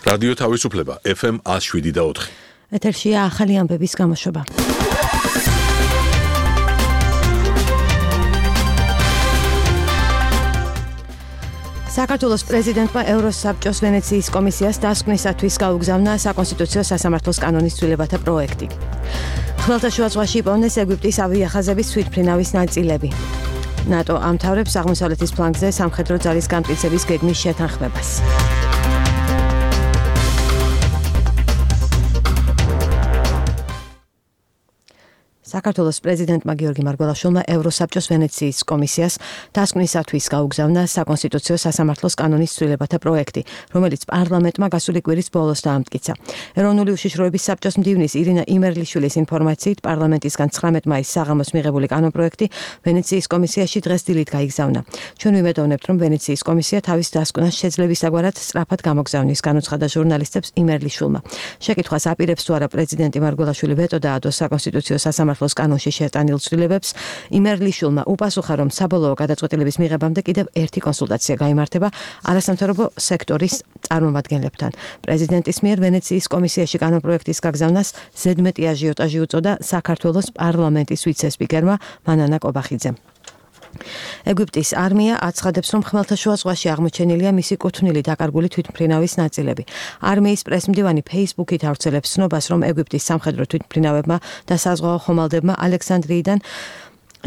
რადიო თავისუფლება FM 107.4. ეთერშია ახალი ამბების გამოშვება. საქართველოს პრეზიდენტმა ევროსაბჭოს ვენეციის კომისიას დასკვნისათვის გაუგზავნა საკონსტიტუციო სასამართლოს კანონის ცვლილებათა პროექტი. ხმელთაშუა ზღვაში იპოვნეს ეგვიპტის ავიახაზების თვითმფრინავის ნაწილები. ნატო ამთავრებს აღმოსავლეთის ფლანგზე სამხედრო ძალის გამტკიცების გეგმის შეთანხმებას. საქართველოს პრეზიდენტმა გიორგი მარგველაშვილმა ევროსაბჭოს ვენეციის კომისიას დასკვნისათვის გაუგზავნა საკონსტიტუციო სასამართლოს კანონის ცვლილებათა პროექტი, რომელიც პარლამენტმა გასული კვირის ბოლოს დაამტკიცა. ეროვნული უშიშროების საბჭოს მდივნის ირინა იმერლიშვილის ინფორმაციით, პარლამენტისგან 19 მაისს საღამოს მიღებული კანონპროექტი ვენეციის კომისიაში დღეს დილით გაიგზავნა. ჩვენ ვიმედოვნებთ, რომ ვენეციის კომისია თავის დასკვნას შეძლებისაგვარად სწრაფად გამოგზავნის, განუცხადა ჟურნალისტებს იმერლიშვილმა. შეკითხვას აპირებს თუ არა პრეზიდენტი მარგველაშვილი ვეტო დაადოს საკონსტიტუციო სასამართლოს კანონში შეტანილ ცვლილებებს, იმერლიშვილმა უპასუხა, რომ საბოლოო გადაწყვეტილების მიღებამდე კიდევ ერთი კონსულტაცია გაიმართება არასამთავრობო სექტორის წარმომადგენლებთან. პრეზიდენტის მიერ ვენეციის კომისიაში კანონპროექტის გაგზავნას ზედმეტი აჟიოტაჟი უწოდა საქართველოს პარლამენტის ვიცე-სპიკერმა მანანა კობახიძემ. ეგვიპტის არმია აცხადებს, რომ ხმელთაშუა ზღვაში აღმოჩენილია მისი კუთვნილი დაკარგული თვითმფრინავის ნაწილები. არმიის პრესმდივანი Facebook-ით ავრცელებს ცნობას, რომ ეგვიპტის სამხედრო თვითმფრინავებმა და საზღვაო ხომალდებმა ალექსანდრიიდან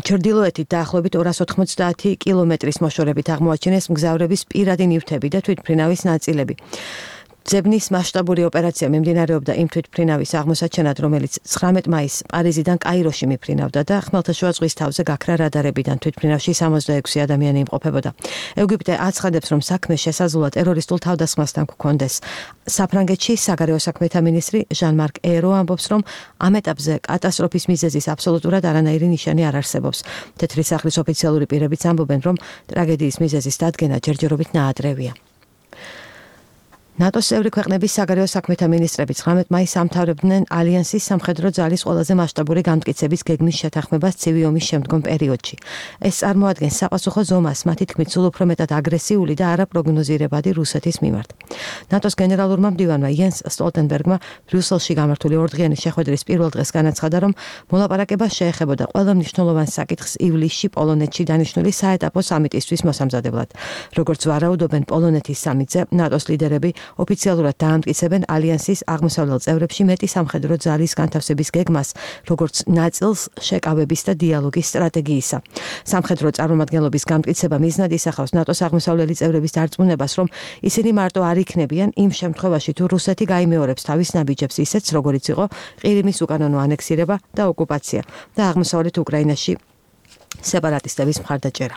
ჩრდილოეთით დაახლოებით 290 კილომეტრის მოშორებით აღმოაჩინეს მგზავრების პირადი ნივთები და თვითმფრინავის ნაწილები. ძებნის მასშტაბური ოპერაცია მიმდინარეობდა იმ თვითმფრინავის აღმოსაჩენად, რომელიც 19 მაისს პარიზიდან კაიროში მიფრინავდა და ხმელთაშუა ზღვის თავზე გაქრა რადარებიდან თვითმფრინავში 66 ადამიანი იმყოფებოდა. ეგვიპტე აცხადებს, რომ საქმე შესაძლოა ტერორისტულ თავდასხმასთან გქონდეს. საფრანგეთში საგარეო საქმეთა მინისტრი ჟან-მარკ ერო ამბობს, რომ ამ ეტაპზე კატასტროფის მიზეზის აბსოლუტურად არანაირი ნიშანი არ არსებობს. თეთრი სახლის ოფიციალური პირებიც ამბობენ, რომ ტრაგედიის მიზეზის დადგენა ჯერჯერობით ნაადრევია. ნატოს წევრი ქვეყნების საგარეო საქმეთა მინისტრები 19 მაისს ამთავრებდნენ ალიანსის სამხედრო ძალის ყველაზე მასშტაბური გამტკიცების გეგმის შეთანხმებას ცივი ომის შემდგომ პერიოდში. ეს წარმოადგენს საპასუხო ზომას მათი თქმით სულ უფრო მეტად აგრესიული და არაპროგნოზირებადი რუსეთის მიმართ. ნატოს გენერალურმა მდივანმა იენს სტოლტენბერგმა ბრიუსელში გამართული ორდღიანი შეხვედრის პირველ დღეს განაცხადა, რომ მოლაპარაკება შეეხებოდა ყველა მნიშვნელოვან საკითხს ივლისში პოლონეთში დანიშნული საეტაპო სამიტისთვის მოსამზადებლად. როგორც ვარაუდობენ პოლონეთის სამიტზე, ნატოს ლიდერები ოფიციალურად დაამტკიცებენ ალიანსის აღმოსავლელ წევრებში მეტი სამხედრო ძალის განთავსების გეგმას, როგორც ნაწილს შეკავების და დიალოგის სტრატეგიისა. სამხედრო წარმომადგენლობის გამტკიცება მიზნად ისახავს ნატოს აღმოსავლელი წევრების დარწმუნებას, რომ ისინი მარტო არ იქნებიან იმ შემთხვევაში, თუ რუსეთი გაიმეორებს თავის ნაბიჯებს ისეთს, როგორიც იყო ყირიმის უკანონო ანექსირება და ოკუპაცია და აღმოსავლეთ უკრაინაში სეპარატისტების მხარდაჭერა.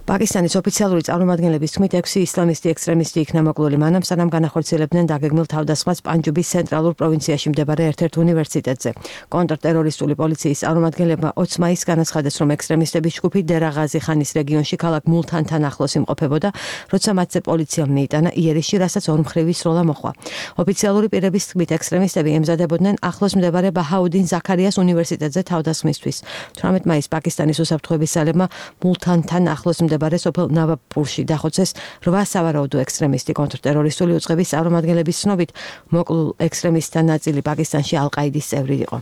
პაკისტანის ოფიციალური წარმომადგენლების თქმით 6 ისლამისტი ექსტრემისტი იქნა მოკლული მანამ, სანამ განახორციელებდნენ დაგეგმილ თავდასხმას პანჯუბის ცენტრალურ პროვინციაში მდებარე ერთ-ერთ უნივერსიტეტზე. კონტრტერორისტული პოლიციის წარმომადგენლებმა 20 მაისს განაცხადეს, რომ ექსტრემისტების ჯგუფი დერაღაზი ხანის რეგიონში ქალაქ მულთანთან ახლოს იმყოფებოდა, როცა მათზე პოლიციამ მიიტანა იერიში, რასაც ორმხრივი სროლა მოჰყვა. ოფიციალური პირების თქმით, ექსტრემისტები ემზადებოდნენ ახლოს მდებარე ბაჰაუდინ ზაქარიას უნივერსიტეტზე თავდასხმისთვის. 18 მაისს პაკისტანის უსაფრთხოების ძალებმა მულთანთან ახლოს მდებარე სოფელ ნავაპურში დახოცეს 8 სავარაუდო ექსტრემისტი. კონტრტერორისტული უწყების წარმომადგენლების ცნობით, მოკლულ ექსტრემისტთა ნაწილი პაკისტანში ალ-ყაიდის წევრი იყო.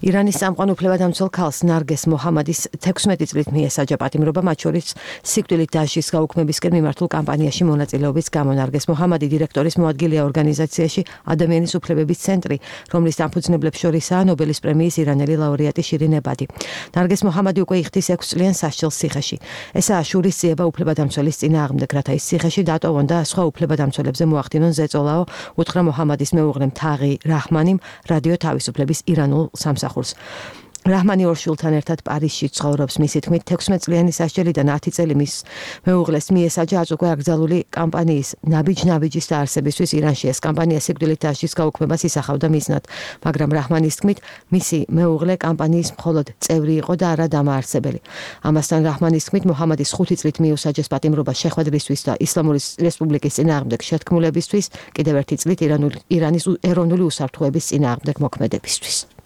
ირანის სამყარო უფლებადამცველ ქალს ნარგეს მოჰამადის 16 წლით მიესაჯა პატიმრობა, მათ შორის სიკვდილით დასჯის გაუქმებისკენ მიმართულ კამპანიაში მონაწილეობის გამო. ნარგეს მოჰამადი დირექტორის მოადგილეა ორგანიზაციაში ადამიანის უფლებების ცენტრი, რომლის დამფუძნებლებს შორისაა ნობელის პრემიის ირანელი ლაურეატი შირინ ებადი. ნარგეს მოჰამადი უკვე იხდის 6 წლიან სასჯელს ციხეში. ესაა შურისძიება უფლებადამცველის წინააღმდეგ, რათა ის ციხეში დატოვონ და სხვა უფლებადამცველებზე მოახდინონ ზეწოლა, უთხრა მოჰამადის მეუღლემ თაღი რაჰმანიმ რადიო თავისუფლების ირანულ სამსახურს. რაჰმანი ორ შვილთან ერთად პარიზში ცხოვრობს. მისი თქმით, 16 წლიანი სასჯელიდან 10 წელი მის მეუღლეს მიესაჯა აწუხე აკრძალული კამპანიის ნაბიჯ-ნაბიჯის დაარსებისთვის ირანში. ეს კამპანია სიკვდილით დასჯის გაუქმებას ისახავდა მიზნად, მაგრამ რაჰმანის თქმით, მისი მეუღლე კამპანიის მხოლოდ წევრი იყო და არა დამაარსებელი. ამასთან რაჰმანის თქმით, მოჰამადის 5 წლით მიუსაჯეს პატიმრობა შეხვედრისთვის და ისლამური რესპუბლიკის წინააღმდეგ შეთქმულებისთვის, კიდევ 1 წლით ირანის ეროვნული უსაფრთხოების წინააღმდეგ მოქმედებისთვის.